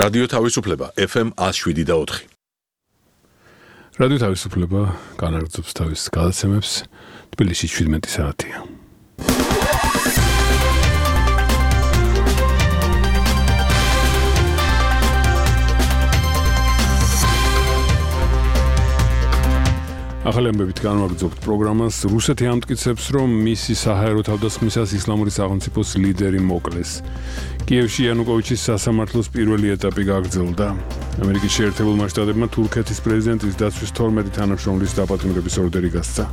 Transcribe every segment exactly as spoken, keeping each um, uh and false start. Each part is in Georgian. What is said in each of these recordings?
რადიო თავისუფლება ეფ ემ one oh seven და four. რადიო თავისუფლება განაგრძობს თავის გადაცემებს თბილისში seventeen საათია. ახალი ამბებით განვაგრძობთ პროგრამას. რუსეთი ამტკიცებს, რომ მისი საჰაერო თავდასხმისას ისლამური სახელმწიფოს ლიდერი მოკლეს. კიევში იანუკოვიჩის სასამართლოს პირველი ეტაპი გაგრძელდა. ამერიკის შეერთებულმა შტატებმა თურქეთის პრეზიდენტის დაცვის twelve თანამშრომლის დაპატიმრების ორდერი გასცა.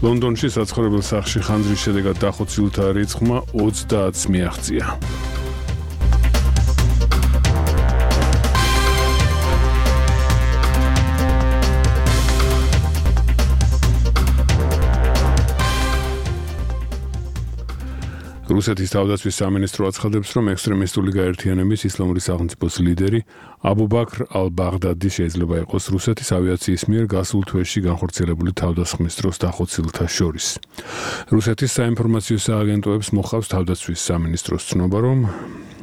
ლონდონში საცხოვრებელ სახლში ხანძრის შედეგად დახოცილთა რიცხვმა ოცდაათს მიაღწია. რუსეთის თავდაცვის სამინისტრო აცხადებს, რომ ექსტრემისტული გაერთიანების ისლამური სახელმწიფოს ლიდერი აბუ ბაქრ ალ-ბაღდადი შეიძლება იყოს რუსეთის ავიაციის მიერ გასულ თვეში განხორციელებული თავდასხმის დროს დახოცილთა შორის. რუსეთის საინფორმაციო სააგენტოებს მოხავს თავდაცვის სამინისტროს ცნობა, რომ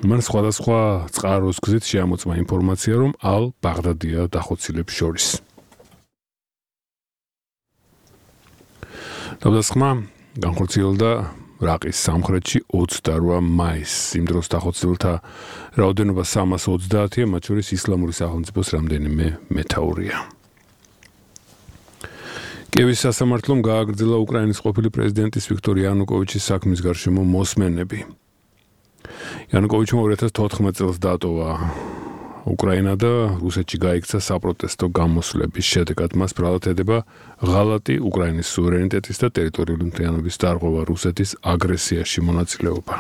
მან სხვადასხვა წყაროს გზით შეამოწმა ინფორმაცია, რომ ალ-ბაღდადია დახოცილებს შორის. თავდასხმა განხორციელდა რაყის სამხრეთში twenty-eight მაისს. იმ დროს დახოცილთა რაოდენობა three hundred twenty-ია, მათ შორის ისლამური სახელმწიფოს რამდენიმე მეთაურია. კიევის სასამართლომ გააგრძელა უკრაინის ყოფილი პრეზიდენტის ვიქტორ იანუკოვიჩის საქმის გარშემო მოსმენები. იანუკოვიჩმა two thousand fourteen წელს დატოვა უკრაინა და რუსეთში გაიქცა საპროტესტო გამოსვლების შედეგად მას ბრალად ედება ღალატი უკრაინის სუვერენიტეტის და ტერიტორიული მთლიანობის დარღვევა რუსეთის აგრესიაში მონაწილეობა.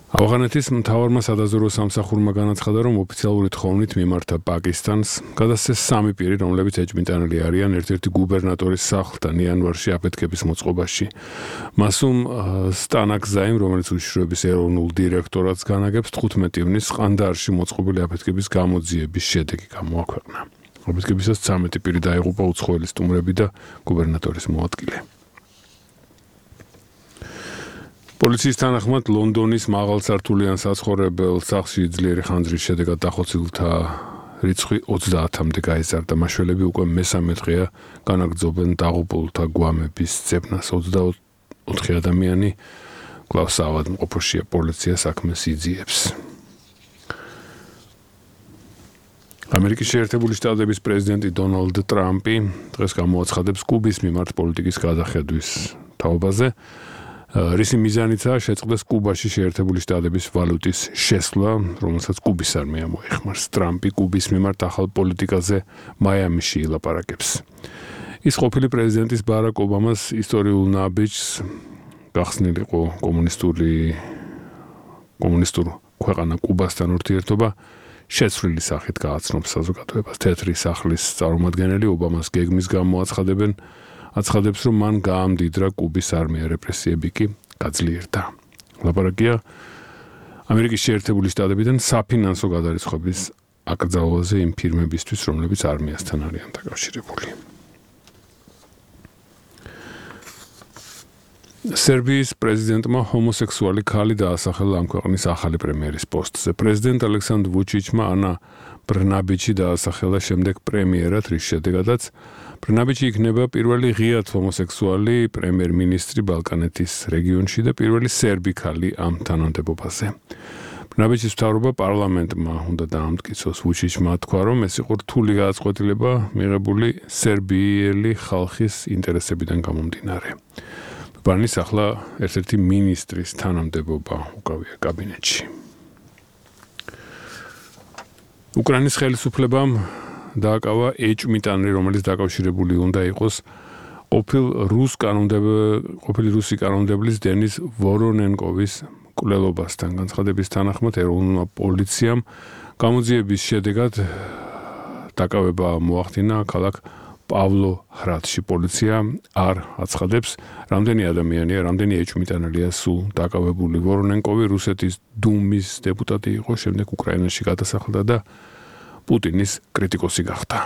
ავღანეთის მთავარმა სადაზვერვო სამსახურმა განაცხადა, რომ ოფიციალური თხოვნით მიმართა პაკისტანს გადასცეს სამი პირი, რომლებიც ეჭვმიტანილი არიან ერთ-ერთი გუბერნატორის სახლთან იანვარში აფეთქების მოწყობაში. მასუმ სტანაკზაიმ, რომელიც უშიშროების ეროვნულ დირექტორატს განაგებს, თხუთმეტი ივნის ყანდაარში მოწყობილი აფეთქების გამოძიების შედეგი გამოაქვეყნა. აფეთქებისას ცამეტი პირი დაიღუპა, უცხოელი სტუმრები და გუბერნატორის მოადგილე. პოლიციის თანახმად ლონდონის მაღალსართულიან საცხოვრებელ სახლში ძლიერი ხანძრის შედეგად დახოცილთა რიცხვი ოცდაათამდე გაიზარდა. მაშველები უკვე მესამე დღეა განაგრძობენ დაღუპულთა გვამების ძებნას. ოცდაოთხი ადამიანი კვლავ საავადმყოფოშია, პოლიცია საქმეს იძიებს. ამერიკის შეერთებული შტატების პრეზიდენტი დონალდ ტრამპი დღეს გამოაცხადებს კუბის მიმართ პოლიტიკის გადახედვის თაობაზე. რისი მიზანიცაა შეწყდეს კუბაში შეერთებული შტატების ვალუტის შესვლა, რომელსაც კუბის არმია მოიხმარს. ტრამპი კუბის მიმართ ახალ პოლიტიკაზე მაიამიში ილაპარაკებს. ის ყოფილი პრეზიდენტის ბარაკ ობამას ისტორიულ ნაბიჯს გახსნილიყო კომუნისტური კომუნისტურ ქვეყანა კუბასთან ურთიერთობა შეცვლილი სახით გააცნობს საზოგადოებას. თეთრი სახლის წარმომადგენელი ობამას გეგმის გამო აცხადებენ აცხადებს, რომ მან გაამდიდრა კუბის არმია, რეპრესიები კი გაძლიერდა. ლაპარაკია ამერიკის შეერთებული შტატებიდან საფინანსო გადარიცხვის აკრძალვაზე იმ ფირმებისთვის, რომლებიც არმიასთან არიან დაკავშირებული. სერბიის პრეზიდენტმა ჰომოსექსუალი ქალი დაასახელა ამ ქვეყნის ახალი პრემიერის პოსტზე. პრეზიდენტ ალექსანდრ ვუჩიჩმა ანა ბრნაბიჩი დაასახელა შემდეგ პრემიერად, რის შედეგადაც ბრნაბიჩი იქნება პირველი ღიად ჰომოსექსუალი პრემიერ-მინისტრი ბალკანეთის რეგიონში და პირველი სერბი ქალი ამ თანამდებობაზე. ბრნაბიჩის მთავრობა პარლამენტმა უნდა დაამტკიცოს. ვუჩიჩმა თქვა, რომ ეს იყო რთული გადაწყვეტილება მიღებული სერბიელი ხალხის ინტერესებიდან გამომდინარე. ბანის ახლა ერთ-ერთი მინისტრის თანამდებობა უკავია კაბინეტში. უკრაინის ხელისუფლებამ დააკავა ეჭვმიტანილი, რომელიც დაკავშირებული უნდა იყოს ყოფილ რუს კანონმდებლ ყოფილი რუსი კანონმდებლის დენის ვორონენკოვის მკვლელობასთან. განცხადების თანახმად ეროვნულმა პოლიციამ გამოძიების შედეგად დაკავება მოახდინა ქალაქ პავლოჰრადში. პოლიცია არ აცხადებს, რამდენი ადამიანია, რამდენი ეჭვმიტანილია სულ დაკავებული. ვორონენკოვი რუსეთის დუმის დეპუტატი იყო, შემდეგ უკრაინაში გადასახლდა და პუტინის კრიტიკოსი გახდა.